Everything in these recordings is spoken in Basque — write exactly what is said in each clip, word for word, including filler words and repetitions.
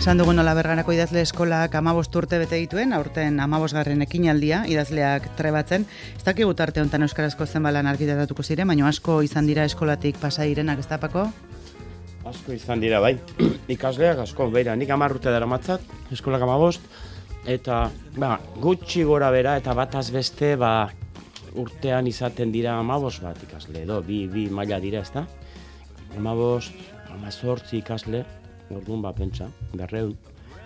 Esan dugun nola Bergarako idazle eskolak hamabost urte bete dituen, aurten hamabosgarren ekinaldia idazleak trebatzen. Ez dakigu tarte honetan euskarazko zenbalan argitaratuko ziren, baina asko izan dira eskolatik pasa direnak, ez da, Pako? Asko izan dira, bai. Ikasleak asko, beira, nik hamar urte daramatzat, eskolak hamabost, eta ba, gutxi gora bera eta bataz beste ba, urtean izaten dira hamabost bat ikasle, edo bi, bi maila dira, ez da? hamabost, hamazortzi ikasle, orduan bat pentsa, berreun,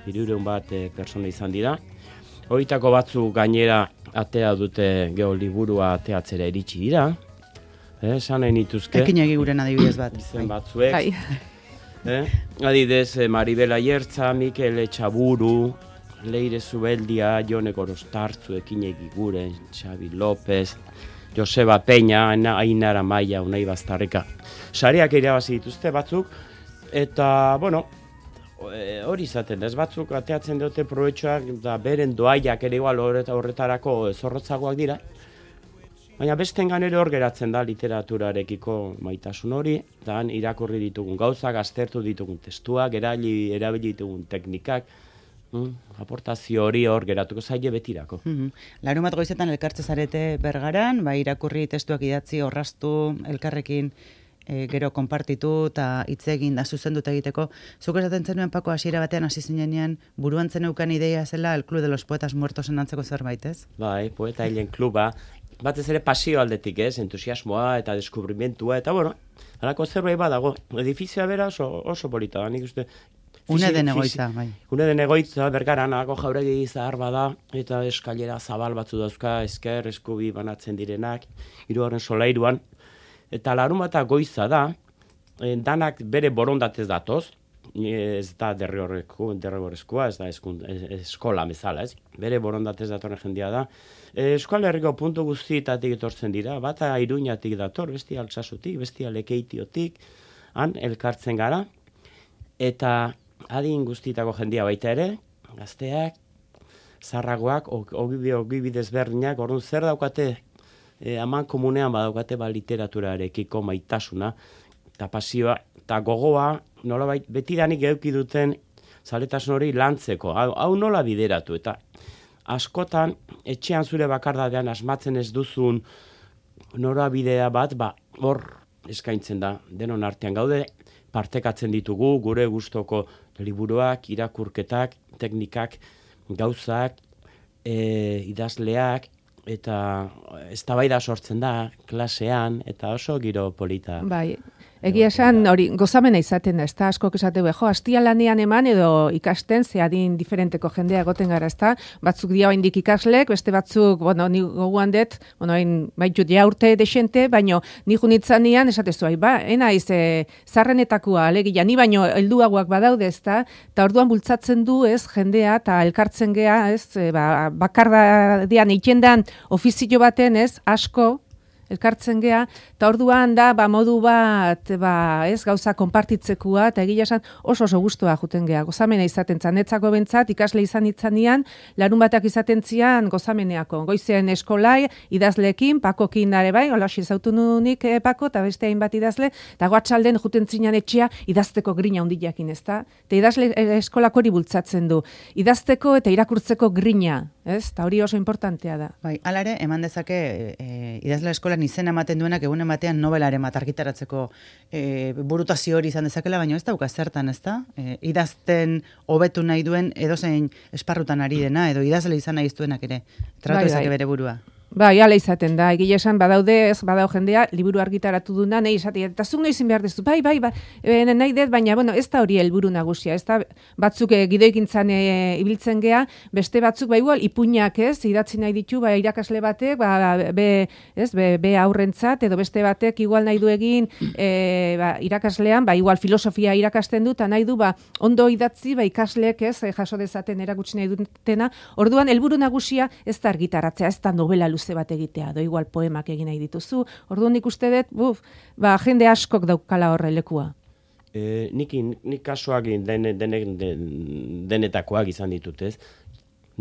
hirureun bat e, persona izan dira. Horietako batzuk gainera atea dute geho liburua ateatzera iritsi dira. Eh, esan nahi nituzke. Ekin egiguren adibidez bat. Izen batzuek. Eh, adidez, Maribel Aiertza, Mikel Etxaburu, Leire Zubeldia, Jone Gorostartzu, ekin egiguren, Xabi López, Joseba Peña, Ainara Maia, Unai Bastarrika. Sariak irabazi dituzte batzuk, eta, bueno, hori izaten, ez batzuk ateatzen dute proetxoak, da beren doaiak ere igual horretarako zorrotzagoak dira, baina bestengan ere hor geratzen da literaturarekiko maitasun hori, da irakurri ditugun gauzak, aztertu ditugun testuak, erabili, erabili ditugun teknikak, mm, aportazio hori hor geratuko zaile betirako. Mm-hmm. Larun bat goizetan elkartze zarete Bergaran, ba, irakurri testuak idatzi, orrastu, elkarrekin E, gero konpartitu eta hitz egin da zuzenduta egiteko. Zuk esaten zenuen, Pako, hasiera batean hasi zinenean, buruan zeneukan ideia zela el Club de los Poetas Muertosen antzeko zerbait, ez? Bai, poeta hilen kluba, batez ere pasio aldetik, ez, entusiasmoa eta deskubrimentua, eta bueno, halako zerbait badago, edifizioa bera oso, oso polita da, nik uste. Une den egoitza, bai. Une den egoitza, Bergaran, hako jauregi zahar bada, eta eskailera zabal batzu dauzka, esker, eskubi banatzen direnak, hirugarren solairuan. Eta larun bata goiza da, danak bere borondatez datoz, ez da derrigorrezkoa, ez da eskun, eskola bezala, ez? Bere borondatez datorren jendia da. Euskal Herriko puntu guztietatik etortzen dira, bata Iruñatik dator, bestia Altsasutik, bestia Lekeitiotik, han elkartzen gara, eta adin guztietako jendia baita ere, gazteak, zarragoak, ogibidez berdinak, orduan zer daukate, E, aman komunean badaukate ba, literaturarekiko maitasuna eta pasioa eta gogoa nola betidanik eduki duten zaletasun hori lantzeko, hau, hau nola bideratu eta askotan etxean zure bakardadean asmatzen ez duzun norabidea bat ba, hor eskaintzen da, denon artean gaude, partekatzen ditugu gure gustoko liburuak, irakurketak, teknikak, gauzak, e, idazleak, eta eztabaida sortzen da klasean eta oso giro polita. Bai, egia esan hori gozamena izaten da, ezta askok esateu, jo, astia lanean eman edo ikasten ze adin diferenteko jendea egoten gara, ezta? Batzuk dia oraindik ikaslek, beste batzuk, bueno, ni gogoan dut, bueno, hain baitut ja urte desente, baino ni junitzanean esatezu ai, ba, ena iz e, zarrenetakoa alegia, ni baino helduagoak badaude, ezta? Ta orduan bultzatzen du, ez, jendea ta elkartzen gea, ez, e, ba, bakardadean itendan ofizio baten, ez, asko elkartzen gea, eta orduan da, ba, modu bat, ba, ez, gauza konpartitzekoa, eta egia esan oso oso gustua juten gea, gozamena izaten zanetzako bentzat, ikasle izan itzanean, larun batak izaten zian gozameneako, goizean eskolai, idazleekin, Pakokin dare bai, hola zautu nunik eh, Pako, eta beste hainbat idazle, eta goatxalden juten zinan etxea, idazteko grina hundiakin, ez da? Eta idazle eh, eskolako hori bultzatzen du, idazteko eta irakurtzeko grina, ez? Eta hori oso importantea da. Bai, alare, eman dezake e, idazle eskolan izena ematen duenak egun ematean nobelaren bat argitaratzeko e, burutazio hori izan dezakela, baina ez dauka zertan, ez da? E, idazten hobetu nahi duen edozein esparrutan ari dena, edo idazle izan nahi iztuenak ere. Tratu bai, ezake bai. bere burua. Bai, ala izaten da, egia esan badaude, ez badau jendea, liburu argitaratu duna, nahi izatea, eta zuk noiz behar dezu, bai, bai, bai, e, nahi dut, baina, bueno, ez da hori helburu nagusia, ez da, batzuk e, gidoikintzan e, ibiltzen gea, beste batzuk, bai, igual, ipuinak ez, idatzi nahi ditu, bai, irakasle batek, ba, be, ez, be, be aurrentzat, edo beste batek, igual nahi du egin, e, ba, irakaslean, ba, igual, filosofia irakasten dut, eta nahi du, ba, ondo idatzi, ba, ikasleek, ez, jaso dezaten erakutsi nahi dutena, orduan, helburu nagusia ez da argitaratzea, ez da novela luze bat egitea, do igual poemak egin nahi dituzu. Orduan nik uste dut, buf, ba, jende askok daukala horre lekua. E, nik, nik kasuak den, den, den, denetakoak izan ditut, ez?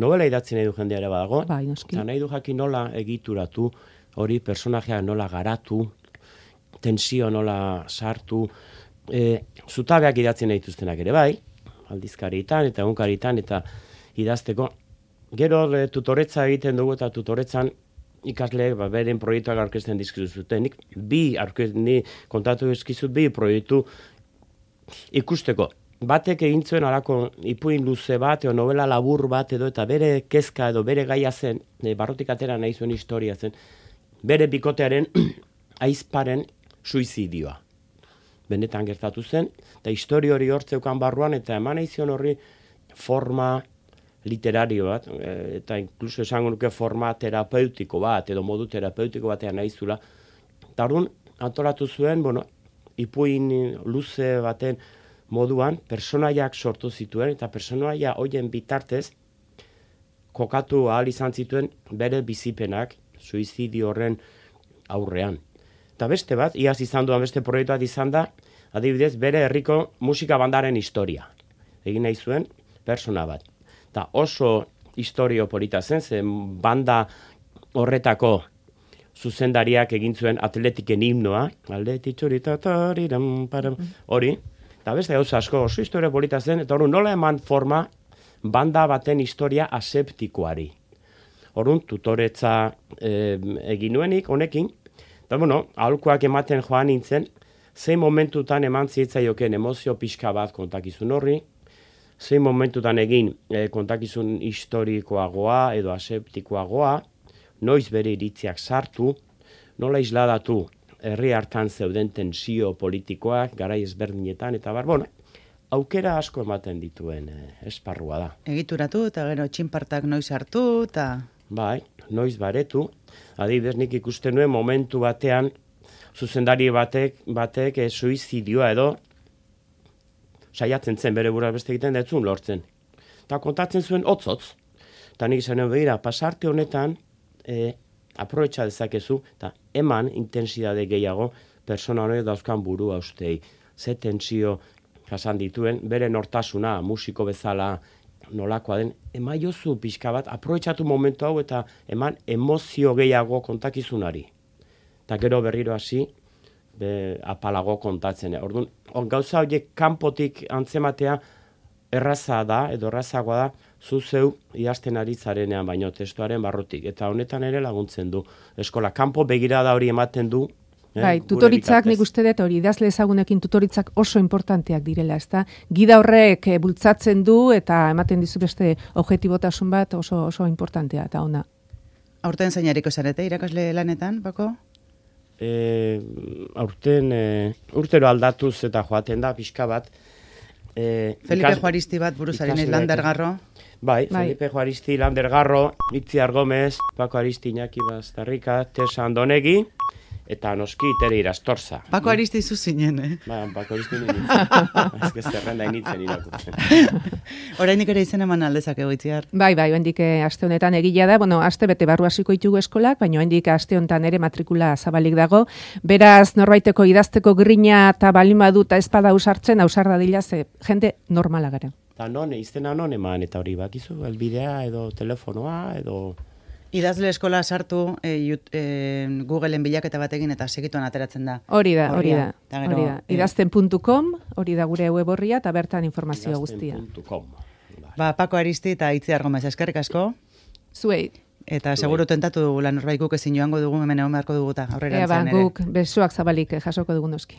Novela idatzi nahi du jendea ere badago, bai, noski. Eta nahi du jakin nola egituratu, hori personajea nola garatu, tensio nola sartu, e, zutabeak idatzen nahi dituztenak ere bai, aldizkaritan eta egunkaritan eta idazteko. Gero e, tutoretza egiten dugu eta tutoretzan ikasleek ba, beren proiektuak aurkezten dizkizuten. Nik bi ni kontatu dizkizut bi proiektu ikusteko. Batek egin zuen alako ipuin luze bat, edo novela labur bat, edo eta bere kezka edo bere gaia zen, e, barrotik atera nahi zuen historia zen, bere bikotearen aizparen suizidioa. Benetan gertatu zen, eta historia hori hortzeukan barruan, eta eman aizion horri forma literario bat, e, eta inkluso esango nuke forma terapeutiko bat, edo modu terapeutiko batean naizula. Eta orduan, antolatu zuen, bueno, ipuin luze baten moduan, personaiak sortu zituen, eta personaia hoien bitartez, kokatu ahal izan zituen bere bizipenak, suizidio horren aurrean. Eta beste bat, iaz izan duan beste proiektu bat izan da, adibidez, bere herriko musika bandaren historia. Egin nahi zuen, persona bat. Eta oso historio polita zen, zen banda horretako zuzendariak egin zuen atletiken himnoa, hori, eta beste gauza asko oso historio polita zen, eta hori nola eman forma banda baten historia aseptikoari. Horun, tutoretza e, egin nuenik, honekin, eta bueno, aholkuak ematen joan nintzen, zein momentutan eman zitzaioken emozio pixka bat kontakizun horri, zein momentutan egin e, kontakizun historikoagoa edo aseptikoagoa, noiz bere iritziak sartu, nola isladatu herri hartan zeuden tensio politikoak, garai ezberdinetan, eta bar, bueno, aukera asko ematen dituen e, esparrua da. Egituratu eta gero txinpartak noiz hartu eta... Bai, noiz baretu, adibidez nik ikusten nuen momentu batean, zuzendari batek, batek e, suizidioa edo, saiatzen zen bere burua beste egiten detzun lortzen. Eta kontatzen zuen hotz-hotz. Eta nik izan begira, pasarte honetan, e, aprobetxa dezakezu, eta eman intensidade gehiago persona honek dauzkan burua ustei. Ze tensio jasan dituen, bere nortasuna, musiko bezala nolakoa den, emaiozu pixka bat, aprobetxatu momentu hau eta eman emozio gehiago kontakizunari. Eta gero berriro hasi, be, apalago kontatzen. Orduan, on, gauza horiek kanpotik antzematea erraza da, edo errazagoa da, zu zeu idazten ari zarenean baino testuaren barrutik. Eta honetan ere laguntzen du. Eskola, kanpo begirada hori ematen du. Eh, bai, tutoritzak nik uste dut hori, idazle ezagunekin tutoritzak oso importanteak direla, ezta? Gida horrek e, bultzatzen du eta ematen dizu beste objektibotasun bat oso oso importantea eta ona. Aurten zainariko zarete irakasle lanetan, Pako? E, aurten e, urtero aldatuz eta joaten da pixka bat. E, Felipe ikas, Juaristi bat buruzaren Lander Garro. Bai, bai, Felipe Juaristi, Lander Garro, Itziar Gomez, Pako Aristi, Iñaki Bastarrika, Tesa Andonegi, eta noski Tere Irastorza. Pako Aristi zu zinen, eh? Ba, Pako Aristi nintzen. Ez que zerrenda initzen irakurtzen. Orainik ere izen eman aldezak egoitziar. Bai, bai, oendik aste honetan egila da, bueno, aste bete barru hasiko ditugu eskolak, baina oendik aste honetan ere matrikula zabalik dago. Beraz, norbaiteko idazteko grina eta balin badu eta ezpada ausartzen, ausar dadila ze jende normala gara. Eta non, izena non eman, eta hori bakizu, elbidea edo telefonoa edo... Idazle eskola sartu e, e, Googleen bilaketa batekin eta segituan ateratzen da. Hori da, hori da. Eta gero, Hori da. idazten puntu com, hori da gure web orria eta bertan informazio guztia. idazten puntu com. Ba, Pako Aristi eta Itziar Gomez, eskerrik asko. Zuei. Eta seguru tentatu dugu lan norbait guk ezin joango dugu hemen egon beharko dugu eta Ea ba, aurrerantzean ere. guk besoak zabalik jasoko dugu noski.